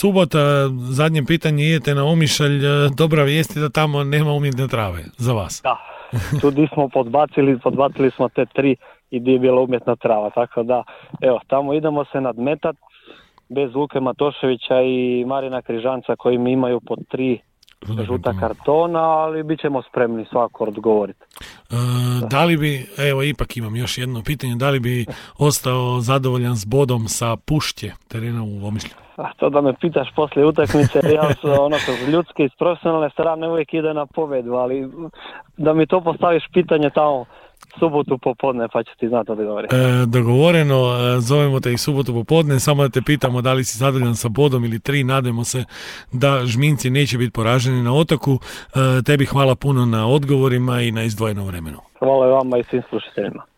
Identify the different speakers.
Speaker 1: Subota, zadnje pitanje, idete na Omišalj, dobra vijest je da tamo nema umjetne trave za vas.
Speaker 2: Da, tu di smo podbacili smo te 3 i di je bila umjetna trava, tako da, evo, tamo idemo se nadmetat bez Luke Matoševića i Marina Križanca koji mi imaju po 3 žuta kartona, ali bit ćemo spremni svako odgovoriti.
Speaker 1: Da li bi, evo ipak imam još jedno pitanje, da li bi ostao zadovoljan s bodom sa Pušće terena u Omišlju?
Speaker 2: A to da me pitaš poslije utakmice, ja s ljudske i s profesionalne strane uvijek ide na pobjedu, ali da mi to postaviš pitanje tamo subotu popodne pa ću ti znati odgovoriti.
Speaker 1: Dogovoreno, zovemo te i subotu popodne, samo da te pitamo da li si zadovoljan sa bodom ili 3, nadamo se da Žminci neće biti poraženi na Otoku. Tebi hvala puno na odgovorima i na izdvojenom vremenu.
Speaker 2: Hvala i vama i svim slušateljima.